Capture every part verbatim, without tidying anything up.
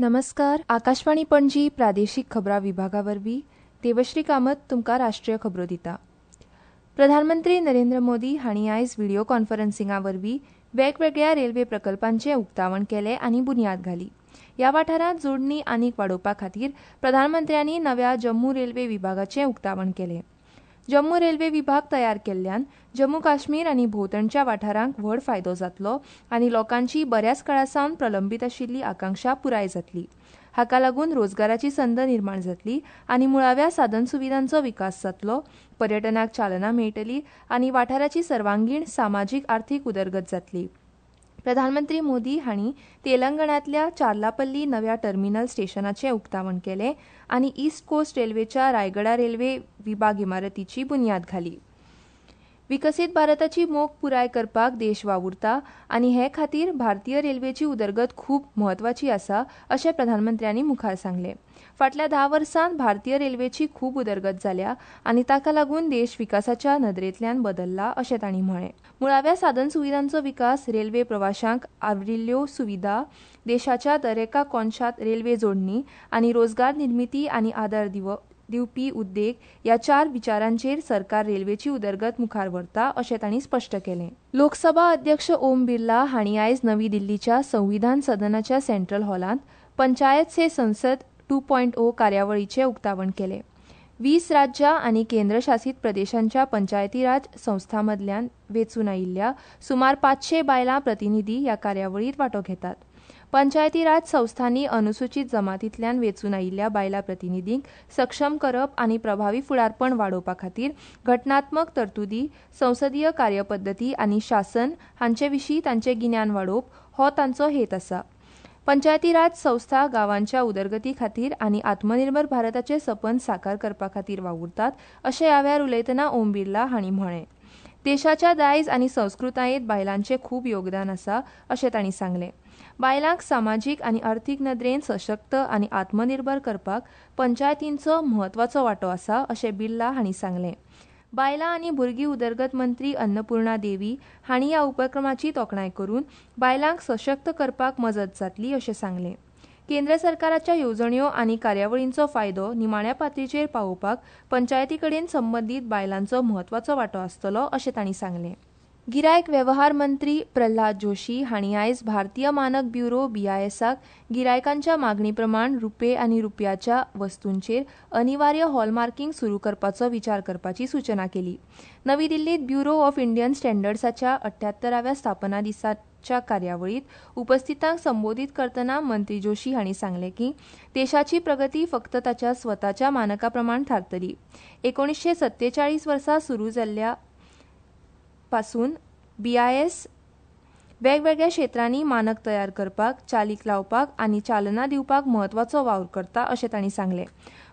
नमस्कार, आकाशवाणी पणजी प्रादेशीक खबरां विभागा वरवीं देवश्री कामत तुमकां राष्ट्रीय खबरो दिता. प्रधानमंत्री नरेंद्र मोदी हांणी आयज व्हिडियो कॉन्फरन्सिंगा वरवीं वेगवेगळ्या रेल्वे प्रकल्पांचें उक्तावण केलें आनी बुन्याद घाली. ह्या वाठारांत जोडणी आनीक वाडोवपा खातीर प्रधानमंत्र्यांनी नव्या जम्मू रेल्वे विभागाचें उक्तावण केलें. जम्मू रेल्वे विभाग तयार केल्ल्यान जम्मू काश्मीर आनी भोंवतणच्या वाठारांक व्हड फायदो जातलो आनी लोकांची बऱ्याच काळा सावन प्रलंबीत आशिल्ली आकांक्षा पुराय जातली. हाका लागून रोजगाराची संद निर्माण जातली आनी मुळाव्या साधनसुविधांचो विकास जातलो, पर्यटनाक चालना मेळटली आनी वाठाराची सर्वांगीण सामाजीक आर्थीक उदरगत जातली. प्रधानमंत्री मोदी हांणी तेलंगणांतल्या चार्लापल्ली नव्या टर्मिनल स्टेशनाचें उक्तावण केलें आनी ईस्ट कोस्ट रेल्वेच्या रायगडा रेल्वे विभाग इमारतीची बुन्याद घाली. विकसीत भारताची मोख पुराय करपाक देश वावुरता आनी हे खातीर भारतीय रेल्वेची उदरगत खूब म्हत्वाची आसा अशें प्रधानमंत्र्यांनी मुखार सांगलें. फाटल्या धा वर्सांत भारतीय रेल्वेची खूब उदरगत जाल्या आनी ताका लागून देश विकासाच्या नदरेंतल्यान बदल्ला अशें तांणी म्हळें. मुळाव्या साधनसुविधांचो विकास, रेल्वे प्रवाशांक आवरिल्ल्यो सुविधा, देशाच्या दरेका कोनशांत रेल्वे जोडणी आनी रोजगार निर्मिती आनी आदार दिवप दिवपी उद्देग ह्या चार विचारांचेर सरकार रेल्वेची उदरगत मुखार व्हरता अशें तांणी स्पश्ट केलें. लोकसभा अध्यक्ष ओम बिर्ला हांणी आयज नवी दिल्लीच्या संविधान सदनाच्या सेंट्रल हॉलांत पंचायत से संसद टू पॉयंट ओ कार्यावळीचें उक्तावण केलें. वीस राज्यां आनी केंद्रशासीत प्रदेशांच्या पंचायती राज संस्थां मदल्यान वेंचून आयिल्ल्या सुमार पांचशे बायलां प्रतिनिधी ह्या कार्यावळींत वांटो घेतात. पंचायती राज संस्थांनी अनुसूचीत जमातींतल्यान वेंचून आयिल्ल्या बायलां प्रतिनिधींक सक्षम करप आनी प्रभावी फुडारपण वाडोवपा खातीर घटनात्मक तरतुदी, संसदीय कार्यपद्दती आनी शासन हांचे विशीं तांचें गिन्यान वाडोवप हो तांचो हेत आसा. पंचायती राज संस्था गांवांच्या उदरगती खातीर आनी आत्मनिर्भर भारताचें सपन साकार करपा खातीर वावुरतात अशें ह्या वेळार उलयतना ओम बिर्ला हांणी म्हळें. देशाच्या दायज आनी संस्कृतायेंत बायलांचें खूब योगदान आसा अशें तांणी सांगलें. बायलांक सामाजीक आनी अर्थीक नदरेन सशक्त आनी आत्मनिर्भर करपाक पंचायतींचो म्हत्वाचो वांटो आसा अशें बिर्ला हांणी सांगलें. बायलां आनी भुरगीं उदरगत मंत्री अन्नपूर्णा देवी हांणी ह्या उपक्रमाची तोखणाय करून बायलांक सशक्त करपाक मजत जातली अशें सांगलें. केंद्र सरकाराच्या येवजण्यो आनी कार्यावळींचो फायदो निमाण्या पातळीचेर पावोवपाक पंचायती कडेन संबंदीत बायलांचो म्हत्वाचो वांटो आसतलो अशें तांणी सांगलें. गिरायक वेव्हार मंत्री प्रल्हाद जोशी हांणी आयज भारतीय मानक ब्युरो बीआयएसाक गिरायकांच्या मागणी प्रमाण रुपे आनी रुपयाच्या वस्तूंचेर अनिवार्य हॉलमार्किंग सुरू करपाचो विचार करपाची सूचना केली. नवी दिल्लीत ब्युरो ऑफ इंडियन स्टँडर्ड्साच्या अठ्यात्तराव्या स्थापना दिसाच्या कार्यावळीत उपस्थितांक संबोधीत करतना मंत्री जोशी हांणी सांगलें की देशाची प्रगती फक्त ताच्या स्वताच्या मानका प्रमाण थारतली. एकोणीसशे सत्तेचाळीस वर्सा सुरू जाल्ल्या पासून बीआयएस वेगवेगळ्या क्षेत्रांनी मानक तयार करपाक, चालीक लावपाक आनी चालना दिवपाक म्हत्वाचो वावर करता अशें तांणी सांगलें.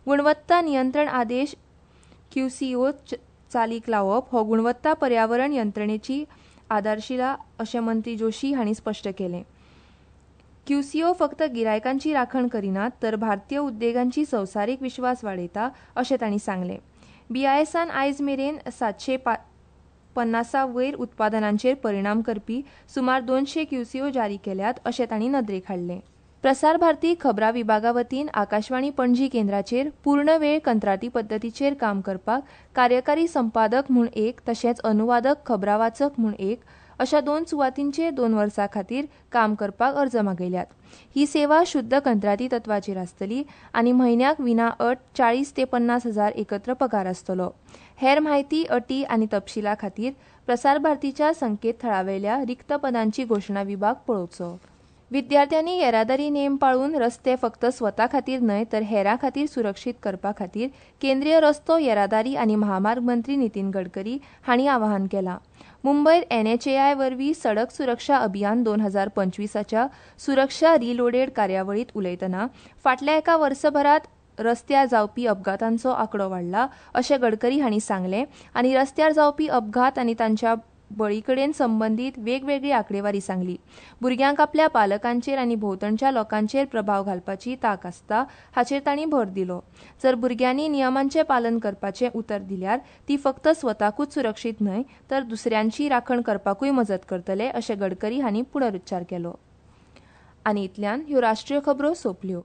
गुणवत्ता नियंत्रण आदेश क्यूसीओ चालीक लावप हो गुणवत्ता पर्यावरण यंत्रणेची आधारशिला अशें मंत्री जोशी हांणी स्पश्ट केलें. क्यूसीओ फक्त गिरायकांची राखण करिनात तर भारतीय उद्देगांची संवसारीक विश्वास वाडयता अशें तांणी सांगलें. बीआयएसान आयज मेरेन सातशे पन्नासा वयर उत्पादनांचेर परिणाम करपी सुमार दोनशे क्यूसीओ जारी केल्यात अशें तांणी नदरेक हाडलें. प्रसार भारती खबरां विभागा वतीन आकाशवाणी पणजी केंद्राचेर पूर्ण वेळ कंत्राटी पद्दतीचेर काम करपाक कार्यकारी संपादक म्हूण एक तशेंच अनुवादक खबरां वाचक म्हूण एक अशा दोन सुवातींचेर दोन वर्सां खातीर काम करपाक अर्ज मागयल्यात. ही सेवा शुद्ध कंत्राटी तत्वाचेर आसतली आनी म्हयन्याक विना अट चाळीस ते पन्नास हजार एकत्र पगार आसतलो. हेर म्हायती, अटी आनी तपशिला खातीर प्रसार भारतीच्या संकेतथळावेल्या रिक्त पदांची घोशणा विभाग पळोवचो. विद्यार्थ्यांनी येरादारी नेम पाळून रस्ते फक्त स्वता खातीर न्हय तर हेरां खातीर सुरक्षीत करपा खातीर केंद्रीय रस्तो येरादारी आनी महामार्ग मंत्री नितीन गडकरी हांणी आवाहन केलां. मुंबयत एनएचएआय वरवीं सडक सुरक्षा अभियान दोन हजार पंचवीसाच्या सुरक्षा रिलोडेड कार्यावळींत उलयतना फाटल्या एका वर्सभरांत रस्त्यार जावपी अपघातांचो आंकडो वाडला अशें गडकरी हांणी सांगलें आनी रस्त्यार जावपी अपघात आनी तांच्या बळी कडेन संबंदीत वेगवेगळी आंकडेवारी सांगली. भुरग्यांक आपल्या पालकांचेर आनी भोंवतणच्या लोकांचेर प्रभाव घालपाची तांक आसता हाचेर तांणी भर दिलो. जर भुरग्यांनी नियमांचें पालन करपाचें उतर दिल्यार ती फक्त स्वताकूच सुरक्षीत न्हय तर दुसऱ्यांची राखण करपाकूय मजत करतले अशें गडकरी हांणी पुनरुच्चार केलो. आनी इतल्यान ह्यो राष्ट्रीय खबरो सोंपल्यो.